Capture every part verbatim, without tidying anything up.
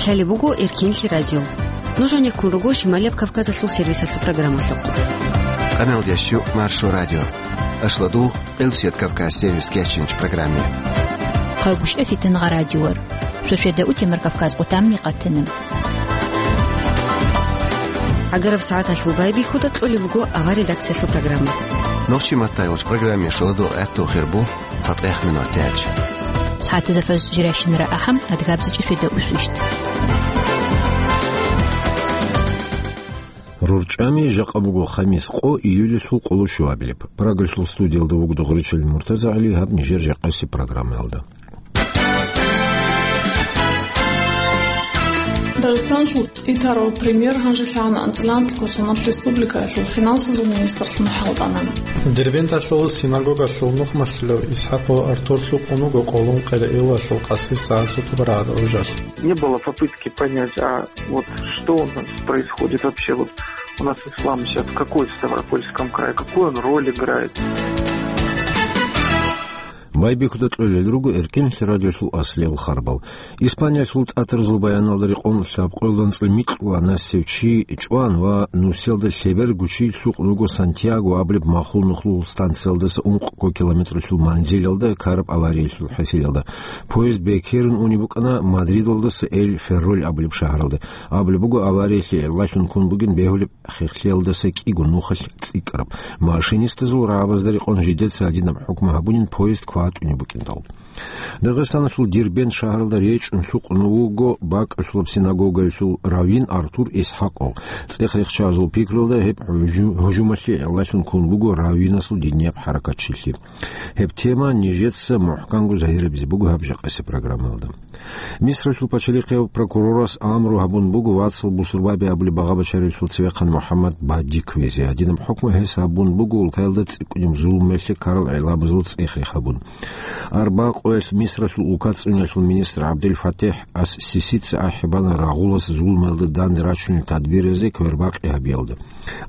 Лъалеб буго Эркинлъи радио. Нуж гьанеккун руго Шималияб Кавказалъул сервисалъул программалъухъ. Къаналдящу Маршо радио. Ашладу, Къилсият Кавказ сервис кечинч программе. Хъагушев Фитангъа радиор. Шошеда утемар Кавказ къутамни къатана. ГӀагараб сагӀаталъул байбихьуда кьолеб буго авар редакциялъул программа. Нохчи маттайолч программе шаладу гӀатту хирбу. ЦатӀех минут тяч. СагӀатазда фаз жирайщинара ахӀам, адгабзичӀи феда усвищт. РурчӀами жакъа буго хамис къо июльалъул къоло щуабилеб. Прагалъул студиялда вугода Гъуричел Муртаза ГӀали, гьаб нижер жакъаси программаялда. Дагъистаналъул цӀитарав премьер гьанже лъагӀана анцӀила анкьго соналъ республикаялъул финансазул министрлъун хӀалтӀана. Дербенталъул синагогалъул нухмалъилав ИсхӀакъ ва Артур лъукъун вуго къоло ункъоялда июлалъул къаси сагӀат цо тӀубараб гӀужалъ. Не было попытки понять, а вот что у нас происходит вообще, вот у нас ислам сейчас в какой Ставропольском крае, какую он роль играет. Байбихьуда кьолел руго Эркинлъи радиолъул аслиял харбал. Испаниялъул тӀатарзул баяналда рекъон лъабкъоялда анцӀила микьго анасев чи чӀван ва нусиялда лъеберго чи лъукъун вуго Сантьяго абулеб махул нухлул станциялдаса ункъго километралъул манзилалда ккараб авариялъул хӀисиялда. Поезд бекерун унеб букӀана Мадридалдаса Эль-Ферроль абулеб шагьаралда. Абулеб буго, авариялъе гӀиллалъун ккун бугин бегьулеб хехлъиялдаса кӀиго нухалъ цӀикӀкӀараб. Машинистазул рагӀабазда рекъон жидеца гьадинаб хӀукму гьабунин поезд кватӀунеб букӀиндал. Дагъистаналъул Дербент шагьаралда речӀчӀун лъукъун вуго бакӀалъулаб синагогаялъул раввин Артур ИсхӀакъов. ЦӀех рехчазул пикруялда гьеб гьужу-, гьужумалъе гӀиллалъун ккун буго раввинасул динияб хӀаракатчилъи. Гьеб тема нижеца мухӀканго загьирабизе буго гьаб жакъаси программаялда. Мисралъул пачалихъияв прокурорас амру гьабун буго вацал бусурбаби абулеб багъа-бачарилъул цевехъан МухӀаммад Бади кквезе. Гьадинаб хӀукму гьес гьабун буго улкаялда цӀикӀкӀунеб зулумалъе ккарал гӀиллабазул цӀех рехабун. Арбакъоялъ Мисралъул улкацӀцӀуниялъул министр ГӀабдел-ФатихӀ ас-Сисица ахӀи бана рагъулас зулумалда данде рачунел тадбиразе квербакъи гьабиялда.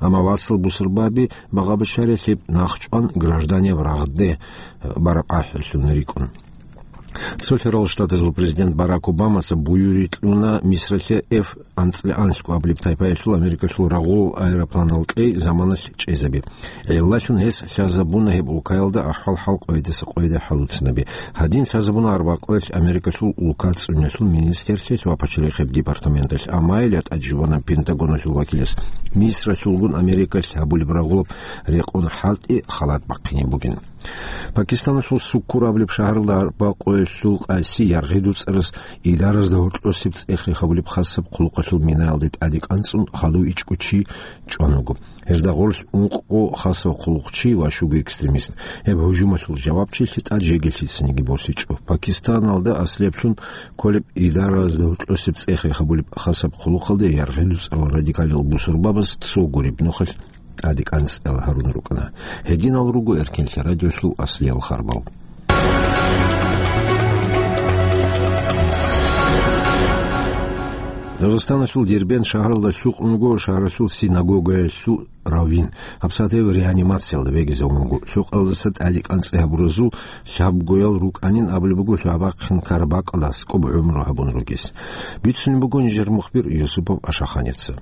Амма вацал бусурбаби багъа-бачарилъ гьеб нахчӀван гражданияб рагъде бараб ахӀилъун рикӀкӀуна. Цо лъерал штатазул президент Барак Обамаца буюри кьуна Мисралъе Эф анцӀила анлъго абулеб тайпаялъул Америкалъул рагъул аэропланал кьей заманалъ чӀезаби. ГӀиллалъун гьес лъазабуна гьеб улкаялда ахӀвал-хӀал къойидаса къойиде хӀалуцанаби. Гьадин лъазабуна арбакъоялъ Америкалъул улкацӀцӀуниялъул министрлъиялъ ва пачалихъияб департаменталъ, амма гьеле тӀаде жубана Пентагоналъул вакилас. Мисралъулгун Америкалъ гьабулеб рагъулаб рекъон хӀалтӀи халат бахъине бугин. Пакистаналъул Суккур абулеб шагьаралда арбакъоялъул къаси яргъи дуцӀарас идаразда гьоркьосеб цӀех рехабулеб хасаб хъулухъалъул минаялде тӀаде кӀанцӀун хадув ичӀго чи чӀван вуго. Гьезда гъорлъ ункъго хасав хъулухъчи ва щуго экстремист. Гьеб гьужумалъул жавабчилъи тӀад жеги лъицаниги босичӀо. Пакистаналда аслиблъун кколеб идаразда гьоркьосеб цӀех рехабулеб хасаб хъулухъалде яргъи дуцӀарал радикалил бусурбабаз цо гуреб нухалъ тӀаде кӀанцӀал гьарун рукӀана. Гьединал руго Эркинлъи радиолъул аслиял харбал. Дагъистаналъул Дербент шагьаралда лъукъун вуго шагьаралъул синагогаялъул раввин. ГьабсагӀат гьев реанимациялда вегизе унго. Лъокъалдаса тӀаде кӀанцӀи гьабуразул лъабгоял рукӀанин абулеб буго лъабахъин ккараб бакӀалда аскӀоб гӀумру гьабун ругес. Бицунеб буго нижер мухбир Юсупов Ашаханица.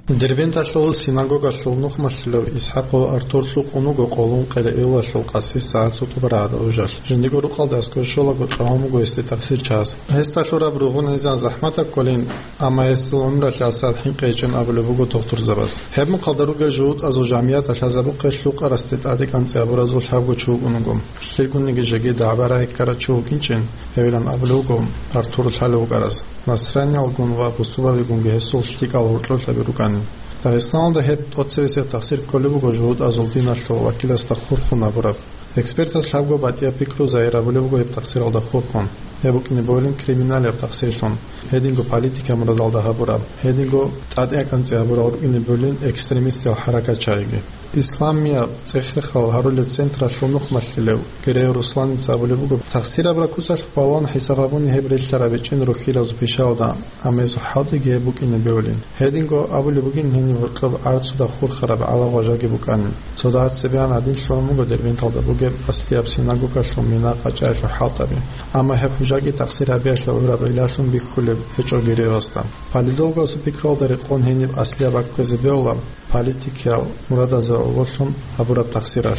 Дербенталъул синагогалъул нухмалъилав ИсхӀакъ ва Артур лъукъун вуго къоло ункъоялда июлалъул къаси сагӀат цо тӀубараб гӀужалъ. Жиндирго рукъалда аскӀов щолаго тӀагӀун буго гьесде тахсир чӀваз. Гьесда лъураб ругъун гӀезегӀан захӀматаб кколин, амма гьесул гӀумралъ гьабсагӀат хӀинкъи гьечӀин абулеб буго дохтурзабаз. Гьеб мехалда ругел жугьутӀазул жамгӀияталъ лъазабухъе лъукъарасде тӀаде кӀанцӀи гьабуразул лъабго чи вукӀун вуго. Лъилгунниги жеги дагӀба рагӀи ккарав чи вукӀинчӀин, гьевилан абулеб буго Артур лъалев вукӀарас. Насраниялгун ва бусурбабигунги гьесул лъикӀал гьоркьоб лъаби рукӀани. Дагъистаналда гьеб тӀоцебесеб тахсир кколеб буго жугьутӀазул диналъул вакиласда хурхун гьабураб. Экспертаз лъабго батӀияб пикру загьир гьабулеб буго гьеб тахсиралда хурхун. Гьеб букӀине бегьулин криминалияб тахсирлъун, гьединго политика мурадалда гьабураб, гьединго тӀаде кӀанцӀи гьабурал рукӀине бегьулин экстремистиял хӀаракатчагӀиги. Исламияб цӀех-рехал гьарулел централъул нухмалъилев Герей Русланица абулеб буго, тахсир абураб куцалъ балагьун хӀисаб гьабуни гьеб релълъараб гьечӀин рухьилазул пишаялда, амма гьезул хӀалтӀиги гьеб букӀине бегьулин. Гьединго абулеб бугин гьениб гьоркьоб гӀарцуда хурхараб гӀалар ва жаги букӀанин. Цо дагьаб цебегӀан гьадин лъугьун буго Дербенталда бугеб аслияб синагогалъул мина къачӀаялъул хӀалтӀаби. Амма гьеб хӀужаги тахсир гьабиялъе гӀураб гӀиллалъун бихьулеб гьечӀо Герейасда. Политологасул пикруялда рекъон гьениб аслияб бакӀ кквезе бегьула, политикиял мурадазе гӀололъун гьабураб тахсиралъ.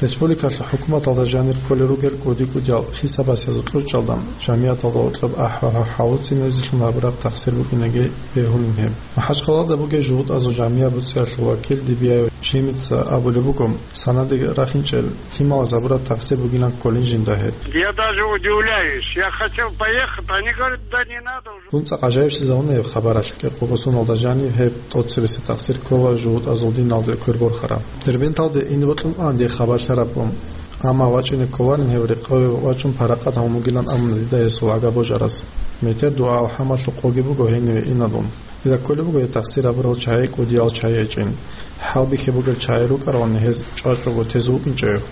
Республикалъул хӀукуматалда жанир кколел ругел кӀуди-кӀудиял хисабасезул кьучӀалда, жамигӀаталда гьоркьоб ахӀвагьа хӀалуцинебсилъун гьабураб тахсир букӀинеги бегьулин гьеб. МахӀачхъалада бугеб жугьутӀазул жамигӀат буцӀиялъул вакил Дибияев Жимица абулеб буго, санадеги рахинчӀел лъималаз гьабураб тахсир бугилан кколин жинда гьеб. Я даже удивляюсь. Я хотел поехать, они говорят, да не надо уже. Дун цӀакъ гӀажаиблъизавуна гьеб хабаралъ, кӀикъого соналда жаниб гьеб тӀоцебесеб тахсир ккола жугьутӀазул диналде квер борхараб. Дербенталде ине бокьун ан дие хабар лъараб бун. Амма вачӀине кколарин гьев рекъове вачӀун паракъат гьавун вугилан абуна дида гьесул агабожарас. Метер дугӀа-алхӀамалъул къоги буго гьениве иналун. Дида кколеб буго гьеб тахсир гьабурал чагӀи кӀудиял чагӀи гьечӀин. ХӀалбихьи бугел чагӀи рукӀаравани гьез чӀвачӀого тезе вукӀинчӀев,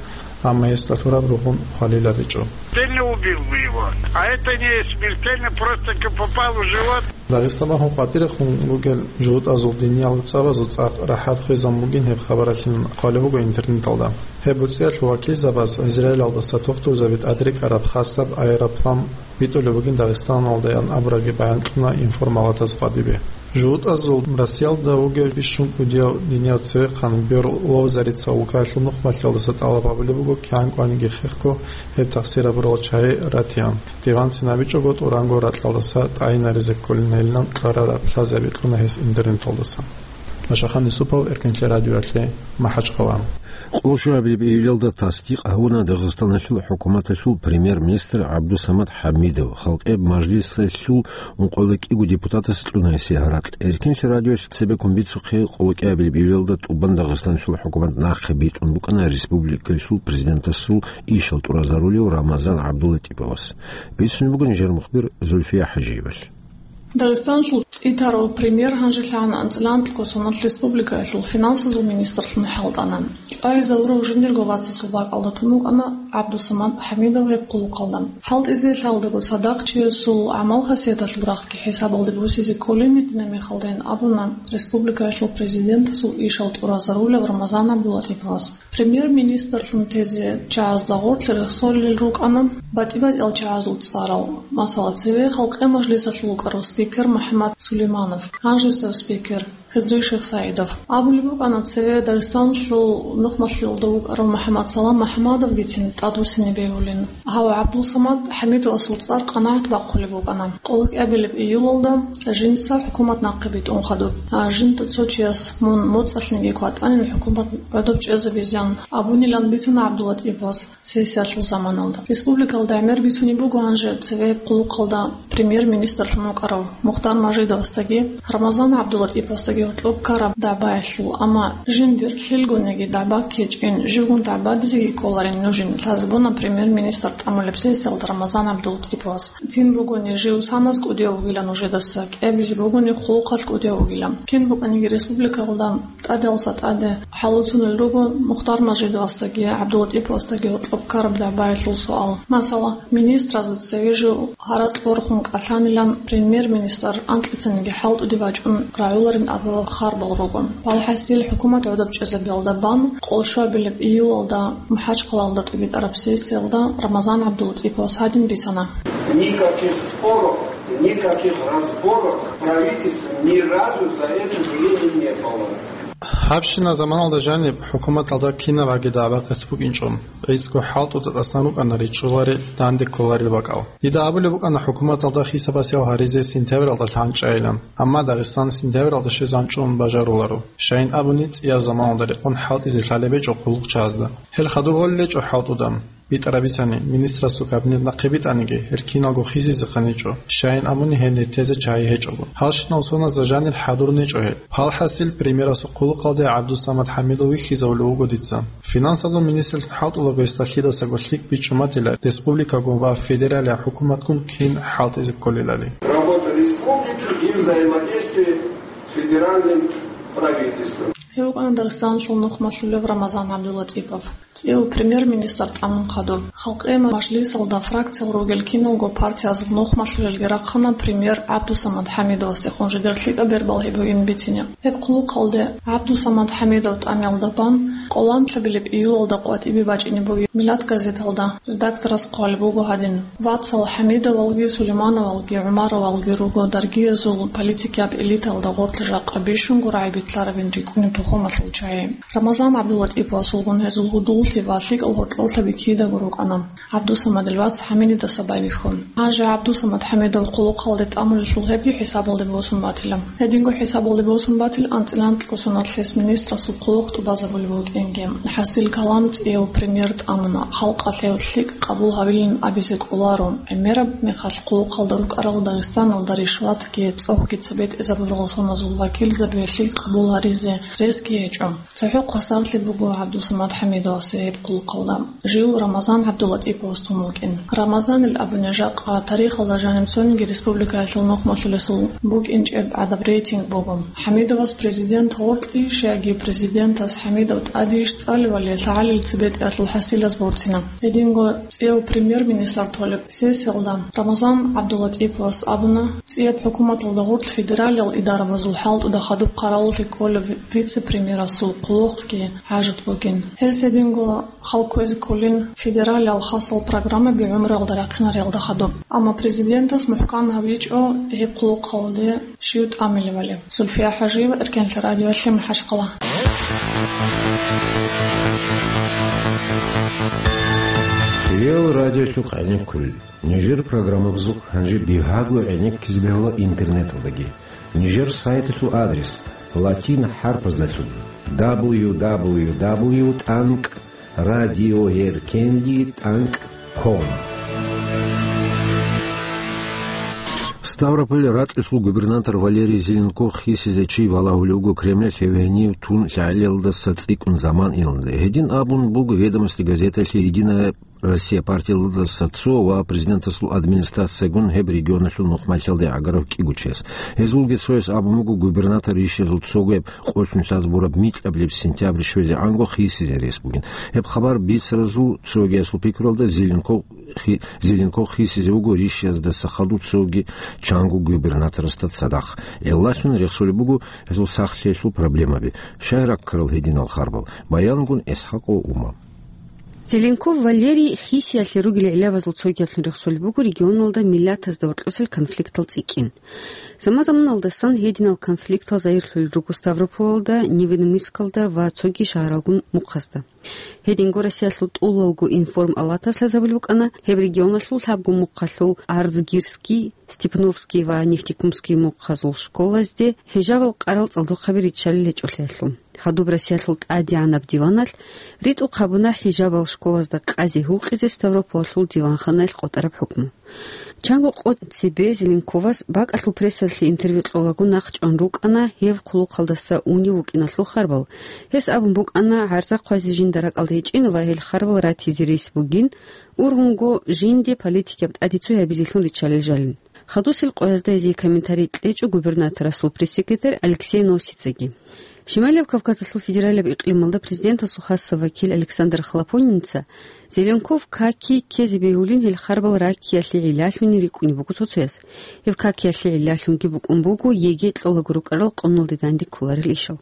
амма гьесда лъураб ругъун хвалил гьабичӀо. Сильно убил бы его. А это не смертельно, просто как попал в живот. Дагъиста бахун къватӀирехун ругел жугьутӀазул диниял цӀабазул цӀакъ рахӀат хвезабун бугин гьеб хабаралъин хъвалеб буго интернеталда. Гьеб буцӀиялъул вакилзабаз Израилалдаса тухтурзаби тӀадрекӀараб хасаб аэроплан битӀулеб бугин Дагъистаналдаян абурабги баянкьуна информалатаз къватӀибе. ЖугьутӀазул Россиялда вугев бищун кӀудияв динияв цевехъан Берлов Зарица Лукаялъул нухмалъиялдаса тӀалаб гьабулеб буго, кигӀан кӀваниги хехго гьеб тахсир гьабурал чагӀи ратиан. Диван цинабичӀого тӀуранго ракьалдаса тӀагӀинаризе кколин гьелилан кьарараб лъазе бикьуна гьес интернеталдаса. Лашахан Юсупов, Эркенлъи радиоялъе, МахӀачхъала. Къоло щуабилеб июлалда тасдикъ гьавуна Дагъистаналъул хӀукуматалъул премьер-министр ГӀабдусамат ХӀамидов, Халкъеб мажлисалъул ункъоялда кӀиго депутатас кьуна гьесие гьаракь. Эркенлъи радиоялъ цебеккун бицухъе, къоло кӀиабилеб июлалда тӀубан Дагъистаналъул хӀукумат нахъе битӀун букӀана республикалъул президентасул ишал тӀуразарулев Рамазан ГӀабдулатӀиповас. Бицунеб буго нижер мухбир Зульфия ХӀажиевалъ. Дагъистаналъул цӀитарав премьер гьанже лъагӀана анцӀила анкьго соналъ республикаялъул финансазул министрлъун хӀалтӀана. КӀвайзавурав жиндирго вацасул бакӀалда тун вукӀана ГӀабдусамат ХӀамидов гьеб хъулухъалда. ХӀалтӀизе лъалдаго цадахъ чиясул гӀамал-хасияталъул рахъги хӀисабалде босизе кколин гьитӀинаб мехалдайин абуна республикаялъул президентасул ишал тӀуразарулев Рамазан ГӀабдулатӀиповас. Премьер-министрлъун тезе чагӀазда гъорлъ рехсолел рукӀана батӀи-батӀиял чагӀазул цӀарал, масала, цеве Халкъе мажлисалъул вукӀарав спикер МухӀаммад Сулейманов, гьанжесев спикер Хизри Шихсаидов. Абулеб букӀана, цеве Дагъистаналъул нухмалъиялда вукӀарав МухӀаммад Салам МухӀаммадовгицин тӀадвуссине бегьулин. Гьав ГӀабдулсамад ХӀамидовасул цӀар къанагӀат бахъулеб букӀана. Къоло кӀиабилеб июлалда жинца хӀукумат нахъе битӀун хадуб. А жинда цо чияс мун моцӀалъниги кватӀанин хӀукумат гӀодоб чӀезабизан абунилан бицана ГӀабдулатӀиповас сессиялъул заманалда. Республикалда гӀемер бицунеб буго гьанже цеве хъулухъалда премьер-министрлъун вукӀарав Мухтар Мажидовасдаги Рамазан ГӀабдулатӀиповасдаги гьоркьоб ккараб дагӀбаялъул, амма жиндир лъилгунеги дагӀба ккечӀин, живгун дагӀбадизеги кколарин нужин, лъазабуна премьер-министр тӀамулеб сессиялда Рамазан ГӀабдулатӀиповас. Цин бугони жив саназ кӀудияв вугилан нужедаса, кӀиабизе бугони хъулухъалъ кӀудияв вугилан. Кин букӀаниги республикалда тӀадалъа тӀаде хӀалуцунел руго Мухтар Мажидовасдаги ГӀабдулатӀиповасдаги гьоркьоб ккараб дагӀбаялъул суал. Масала, министразда цеве жив гьаракь борхун кӀалъанилан премьер-министр анкьицаниги хӀалтӀуде вачӀун рагӀуларин абурал харбал руго. ВалхӀасил, хӀукумат гӀодоб чӀезабиялда бан, къоло щуабилеб июлалда МахӀачхъалалда тӀибитӀараб сессиялда Рамазан ГӀабдулатӀиповас гьадин бицана. Никаких споров, никаких разборов в правительстве ни разу за это время не было. Гьабщина заманалда жаниб хӀукуматалда кинаб гӀаги дагӀба-къец букӀинчӀо. ГӀицӀго хӀалтӀуда тӀасан рукӀана ричӀчӀулари, данде кколарил бакӀал. Дида абулеб букӀана хӀукуматалда хисабасел гьаризе сентябралда лъанчӀайилан, амма Дагъистан сентябралда щвезан чӀун бажаруларо. Щайин абуни, цӀияб заманалда рекъон хӀалтӀизе лъалеб гьечӀо хъулухъчагьазда. Гьел хадур гъолел гьечӀо хӀалтӀуда. БитӀараб бицани, министрасул кабинет нахъе битӀаниги, гьел киналго хизизехъан гьечӀо, щайин абуни гьел нетезе чагьи гьечӀого. Гьалщинал соназда жанир хӀадурун гьечӀо гьел. Гьалхьасил, премьерасул хъулухъалде ГӀабдусамат ХӀамидов вихьизавулев вуго дица. Финансазул министрлъун хӀалтӀулаго гьесда лъидасаго лъикӀ бичӀчӀуматила республикагун ва федералияб хӀукуматгун кин хӀалтӀизе кколелали. Работа республики и взаимодействие с федеральным правительством. Дагъистаналъул нухмалъулев Рамазан ГӀабдуллатӀипов. ЦӀияб премьер-министр тӀамун хадуб. Халкъи мажлисалда фракциялъ ругел киналго партиязул нухмалъулелги рахъана премьер ГӀабдусамад ХӀамидовасдехун жидер лъикӀаб бер балгьи бугин бицине. Гьеб хъулухъалде ГӀабдусамад ХӀамидов тӀамиялда бан къоланлъабилеб июлалда къватӀибе бачӀине бугеб «Миллат» газеталда редакторас хъвалеб буго гьадин: «Вацал ХӀамидовалги, Сулеймановалги, ГӀумаровалги руго даргиязул политикияб элитаялда гъорлъ жакъа бищунго рагӀи битӀарабин рикӀкӀунеб тухумалъул чагӀи». Рамазан ГӀабдуллатӀиповасулгун гьезул гьудуллъи ва лъикӀал гьоркьоблъаби кидаго рукӀана ГӀабдусамадил вац ХӀамидидаса байбихьун. Гьанже ГӀабдусамад ХӀамидов хъулухъалде тӀамулелъул гьебги хӀисабалде босун батила. Гьединго хӀисабалде босун батил анцӀила анкьго соналъ гьес министрасул хъулухъ тӀубазабулеб букӀинги. ХӀасил калам цӀияб премьер тӀамуна, халкъалъ гьев лъикӀ къабул гьавилин абизе кӀоларо. ГӀемераб мехалъ хъулухъалда рукӀарал Дагъистаналда ришватги цӀогьги цебетӀезабурал соназул вакилзаби лъикӀ къабул гьаризе ресги гьечӀо. ЦохӀо хвасарлъи буго ГӀабдусамад ХӀамидовасе гьеб хъулухъалда. Жив Рамазан ГӀабдуллатӀиповас тун вукӀин. Рамазанил абуни, жакъа тарихалда жаниб цониги республикаялъул нухмалъулесул букӀинчӀеб гӀадаб рейтинг буго. ХӀамидовас президент гъоркьищ яги президентас ХӀамидов тӀадейищ цӀалевали, лъагӀалил цебетӀеялъул хӀасилаз борцина. Гьединго цӀияб премьер-министр толеб сессиялда Рамазан ГӀабдуллатӀиповас абуна, цӀияб хӀукуматалда гъорлъ федералиял идарабазул хӀалтӀуда хадуб къаралулъе ккола ви-, вице-премьерасул хъулухъги хӀажат бугин. Гьес гьединго хал кквезе кколин федералиял хасал программаби гӀумруялда рахъинариялда хадуб. Амма президентас мухӀкан гьабичӀо гьеб хъулухъалде щив тӀамилевали. Зульфия ХӀажиева, Эркенлъа радиолъи, МахӀачхъала. Реал радиолъухъ гӀенеккулел. Нижер программабазухъ гьанже бигьаго гӀенеккизе бегьула интернеталдаги. Нижер сайталъул адрес латин хӀарпаздалъун: дабл ю дабл ю дабл ю тӀанкӀ радиоэркенлъи тӀанкӀ ком. Ставрополь ракьалъул губернатор Валерий Зеленков хисизе чи балагьулев вуго Кремлалъ, гьев гьенив тун лъагӀелиялдаса цӀикӀкӀун заман иланда. Гьедин абун буго «Ведомости» газеталъе «Единая Россия» партиялдаса цо ва президентасул администрациягун гьеб регионалъул нухмалъиялде гӀагарав кӀиго чияс. Гьезулги цояс абун буго губернатор рищиязул цогояб къолъун лъаз бураб микьабилеб сентябрь щвезегӀанго хисизе рес бугин. Гьеб хабар бицаразул цогиясул пикруялда Зеленков хи-, Зеленков хисизе вуго рищиязда сахадуб цоги чанго губернаторасда цадахъ. Гьелдалъун рехсолеб буго гьезул сахлъиялъул проблемаби. Щай раккарал гьединал харбал? Баянгун ИсхӀакъов Ума. Зеленков Валерий хисиялъе ругел гӀиллабазул цогиялъун рехсолеб буго регионалда миллатазда гьоркьосел конфликтал цӀикӀкӀин. Заман-заманалдасан гьединал конфликтал загьирлъулел руго Ставрополалда, Невинномыссклда ва цоги шагьаралгун мухъазда. Гьединго Россиялъул тӀулалго информ-алатас лъазабулеб букӀана, гьеб регионалъул лъабго мухъалъул Арзгирский, Степновский ва Нефтекумский мухъазул школазде хӀижабал къарал цӀалдохъаби риччалел гьечӀолъиялъул. Хадуб Россиялъул ТӀадегӀанаб диваналъ ритӀухъ гьабуна хӀижабал школазда къазе гьукъизе Ставрополалъул диванханаялъ къотӀараб хӀукму. Чанго къо цебе Зеленковас бакӀалъул прессалъе интервью кьолаго нахъчӀван рукӀана гьев хъулухъалдаса унев вукӀиналъул харбал. Гьес абун букӀана гӀарза хъвазе жинда ракӀалда гьечӀин ва гьел харбал ратизе рес бугин, ургьунго жинде политикияб тӀаде цо гьабизелъун риччалел жалин. Хадусел къоязда гьезие комментарий кьечӀо губернаторасул пресс-секретарь Алексей Носицаги. Шималияб Кавказалъул федералияб икълималда президентасул хасаб вакил Александр Хлопонинца Зеленков каки ккезе бегьулин гьел харбал раккиялъе гӀиллалъунин рикӀкӀунеб буго цо-цояс. Гьеб какиялъе гӀиллалъунги букӀун буго ЕГЭ кьолаго рукӀарал къоналде данде кколарел ишал.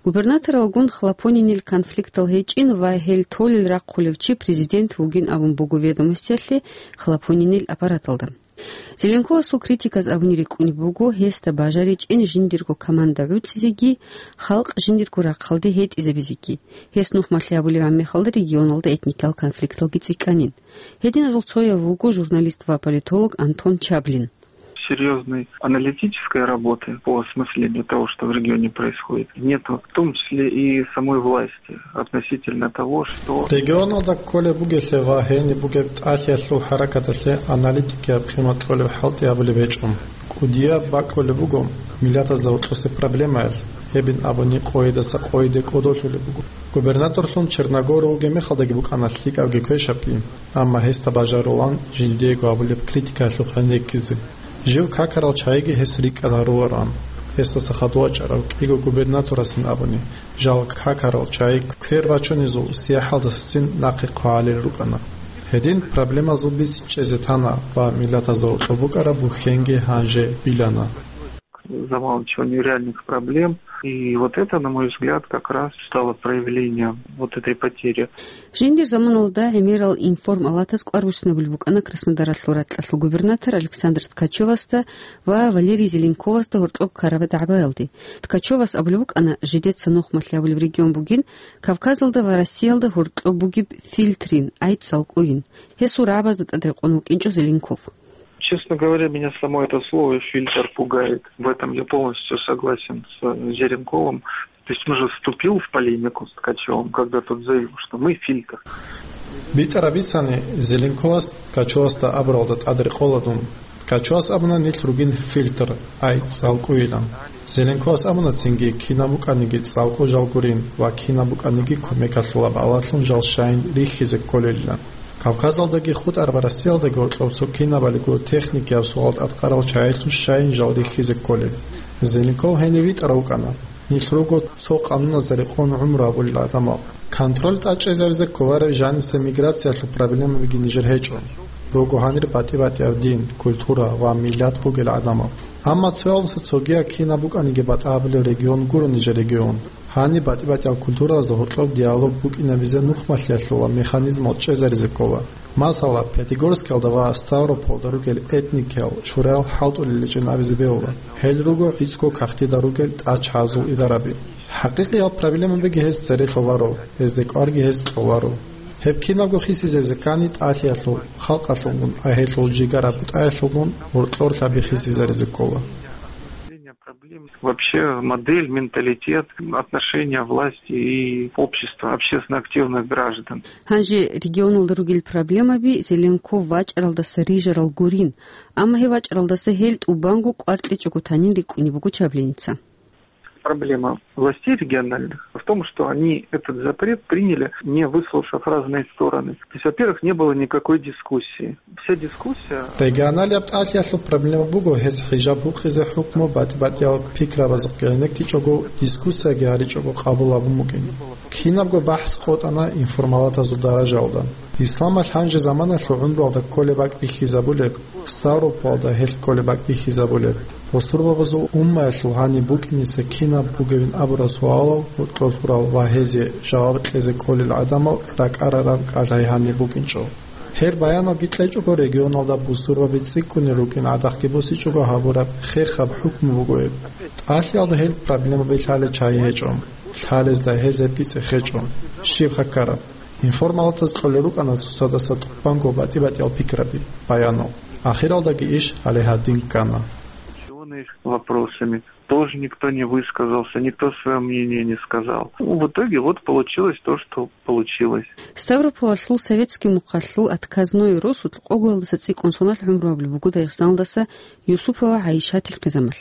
Губернаторалгун Хлопонинил конфликтал гьечӀин ва гьел толел рахъулев чи президент вугин абун буго «Ведомостиялъе» Хлопонинил аппараталда. Зеленковасул критиказ абуни рикӀкӀунеб буго гьесда бажаричӀин жиндирго команда гӀуцӀизеги, халкъ жиндирго рахъалде гьетӀизабизеги. Гьес нухмалъи гьабулеб гьаб мехалда регионалда этникиял конфликталги цӀикӀкӀанин. Гьединазул цояв вуго журналист ва политолог Антон Чаблин. Серьёзной аналитической работы по осмыслению того, что в регионе происходит, нету, в том числе и самой власти, относительно того, что Регионалда кколеб бугелъе ва гьениб бугеб тӀалъиялъул хӀаракаталъе аналитикияб къимат кьолеб хӀалтӀи гьабулеб гьечӀо. КӀудияб бакӀулеб буго миллатазда гьоркьосе проблемаялъ, гьебин абуни къойидаса къойиде кӀодолъулеб буго. Губернаторлъун Черногоров вугеб мехалдаги букӀана лъикӀабги квешабги. Амма гьесда бажарулаан жиндиего гьабулеб критикаялъухъ гьенеккизе. Жив какарал чагӀиги гьес рикӀкӀад гьарулароан. Гьесдаса хадув вачӀарав кӀиго губернаторасин абуни, жал какарал чагӀи квер бачунезул сияхӀалдасацин нахъе хъвагьарел рукӀана. Гьедин проблемазул бицин чӀезе тана ва миллатазда гьоркьоб букӀараб бухьенги гьанже билана. Заман чего нереальных проблем. И вот это, на мой взгляд, как раз стало проявлением вот этой потери. Жиндир заманалда гӀемерал информалатаз кӀвар буссинабулеб букӀана Краснодаралъул ракьалъул губернатор Александр Ткачевасда ва Валерий Зеленковасда гьоркьоб ккараб дагӀбаялде. Ткачевас абулеб букӀана, жидеца нухмалъи абулеб регион бугин, Кавказалда ва Россиялда гьоркьоб бугеб фильтрин, гӀайцӀ цӀалкӀуйин. Гьесул рагӀабазда тӀад рекъон вукӀинчӀо Зеленков. Честно говоря, меня само это слово «фильтр» пугает. В этом я полностью согласен с, э, Зеленковым. То есть он же вступил в полемику с Ткачевым, когда тот заявил, что мы фильтр. БитӀараб бицани, Зеленковас Ткачевасда абуралда тӀад рекъола дун. Ткачевас абуна нилъ ругин фильтр, гӀайцӀ цӀалкӀуйилан. Зеленковас абуна цинги, кинаб букӀаниги цӀалкӀу жал гурин ва кинаб букӀаниги кумекалъулаб гьалалъун жал щайин рихьизе кколелилан. Кавказалдаги хутӀараб Россиялдаги гьоркьоб цо кинабалиго техникияб суал тӀадкъарал чагӀилъун щайин жал рихьизе кколел. Зеленков гьенив витӀарав вукӀана. Нилъ руго цо къануназда рекъон гӀумру гьабулел гӀадамал. Контроль тӀад чӀезабизе кколарев жаниса миграциялъул проблемабиги нижер гьечӀо. Руго гьанир батӀи-батӀияб дин, культура ва миллат бугел гӀадамал. Амма цоялдаса цогияб кинаб букӀаниги батӀа гьабулеб регион гуро нижер регион. Гьаниб батӀи-батӀиял культуралазда гьоркьоб диалог букӀинабизе нухмалъиялъула механизмал чӀезаризе ккола. Масала, Пятигорскиялда ва Ставрополда ругел этникиял чураял хӀалтӀулел речӀчӀин абизе бегьула. Гьел руго гӀицӀго кагътида ругел тӀачагӀазул идараби. ХӀакъикъиял проблемабиги гьез цере лъоларо, гьезде кӀварги гьез кьоларо. Гьеб кинабго хисизабизе ккани тӀалъиялъул, халкъалъулгун, а гьелъул жигара бутӀаялъулгун гьоркьор лъаби хисизаризе ккола. Вообще модель, менталитет, отношения власти и общества, общественно активных граждан. Гьанже регионалда ругел проблемаби Зеленков вачӀаралдаса рижарал гурин, амма гьев вачӀаралдаса гьел тӀубанго кӀвар кьечӀого танин рикӀкӀунеб буго Чабленица. Проблема властей региональных в том, что они этот запрет приняли, не выслушав разные стороны. То есть, во-первых, не было никакой дискуссии. Вся дискуссия... Регионалияб тӀалъиялъул проблема буго гьез хӀижаб гьукъизе хӀукму батӀи-батӀиял пикрабазухъ гӀенеккичӀого, дискуссияги гьаричӀого къабул гьабун букӀин. Кинабго бахӀс къотӀана информалатазул даражаялда. Исламалъ гьанже заманалъул гӀумруялда кколеб бакӀ бихьизабулеб, Ставропуалда гьелъ кколеб бакӀ бихьизабулеб. Бусурбабазул уммаялъул гьаниб букӀиниса кинаб бугевин абурал суалал гьоркьор лъурал ва гьезие жаваб кьезе кӀолел гӀадамал ракӀарараб кӀалай гьаниб букӀинчӀо. Гьеб баяналги кьечӀого, регионалда бусурбаби цӀикӀкӀунел рукӀин гӀадахъги босичӀого гьабураб хехаб хӀукму буго гьеб. ТӀалъиялда гьел проблемаби лъалел чагӀи гьечӀо. Лъалезда гьез гьебги цӀехечӀо. Щибха ккараб? Информалатаз кьолел рукӀана цоцадаса тӀубанго батӀи-батӀиял пикраби, баянал. Ахиралдаги иш гьале гьадин ккана. Учёные вопросами. Тоже никто не высказался, никто своё мнение не сказал. Ну, в итоге вот получилось то, что получилось. Ставрополалъул советский мухъалъул отказной росулъ къоголдаса цӀикӀкӀун соналъ гӀумру гьабулеб буго Дагъистаналдаса Юсупова ГӀайшатил хъизамал.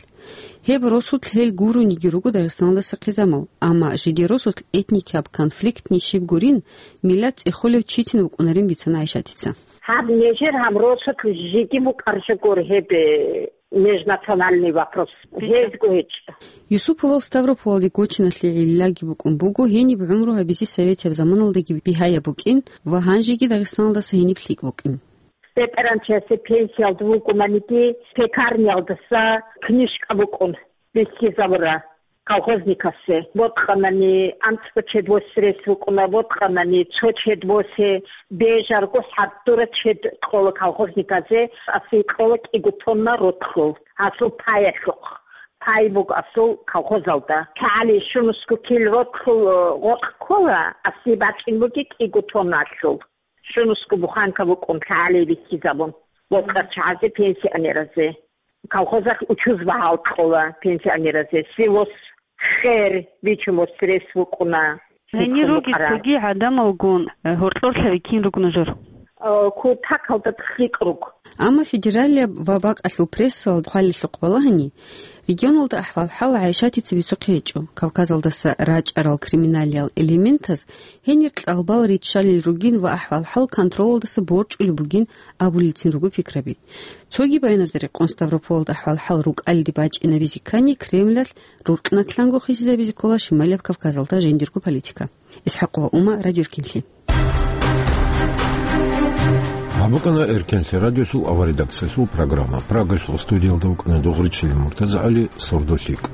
Гьеб росулъ гьел гурониги руго Дагъистаналдаса хъизамал, амма жидер росулъ этникияб конфликтни щиб гурин, миллат цӀехолев читин вукӀунарин бицана ГӀайшатица. Гьаб нижер гьаб росулъ жеги букӀаржагур гьеб, э, межнациональный вопрос. Гьезго гьечӀо. Юсуповал Ставрополалде гочиналъе гӀиллаги букӀун буго, гьениб гӀумру гьабизе советияб заманалдаги бигьаяб букӀин ва гьанжеги Дагъистаналдаса гьениб лъикӀ букӀин. БетӀергьанчиясе пенсиялда вукӀунаниги, пекарниялдаса книжка букӀун бихьизабура колхозникасе. Бокьанани анцӀго чед восрес вукӀуна, бокьанани цо чед босе, бежарго хӀадура чед кьола колхозниказе, асий кьола кӀиго тонна ротлъул, гьасул паялъухъ. Пай буго асул колхозалда. ЛъагӀали щунусго кил ротлъул, э, гъоркь ккола, асий бачӀин буги кӀиго тонналъул. Щунусго буханка букӀун лъагӀалие бихьизабун, бокьарчагӀазе, пенсионеразе. Колхозалъ учуз багьал кьола пенсионеразе. Сивос хер бичун восрес вукӀуна. Гьенир руги цоги гӀадамалгун, э, гьоркьорлъаби кин ругна жур? Э, кутакалда лъикӀ руго. Амма федералияб ва бакӀалъул прессалда хъвалилъухъ балагьани, регионалда ахӀвал-хӀал ГӀайшатица бицухъе гьечӀо. Кавказалдаса рачӀарал криминалиял элементаз гьенир кьалбал риччалел ругин ва ахӀвал-хӀал контролалдаса борчӀулеб бугин абулелцин руго пикраби. Цоги баяназда рекъон, Ставропольалда ахӀвал-хӀал рукӀалиде бачӀинабизе ккани, Кремлалъ рукънатлъанго хисизабизе ккола Шималияб Кавказалда жиндирго политика. ИсхӀакъова Ума, Радио Эркенлъи. Гьаб букӀана Эркенлъи радиосул аварредакциялъул программа. Прагасул студиялда вукӀана Дугъричилин МуртазагӀали, «Сордолъикъ».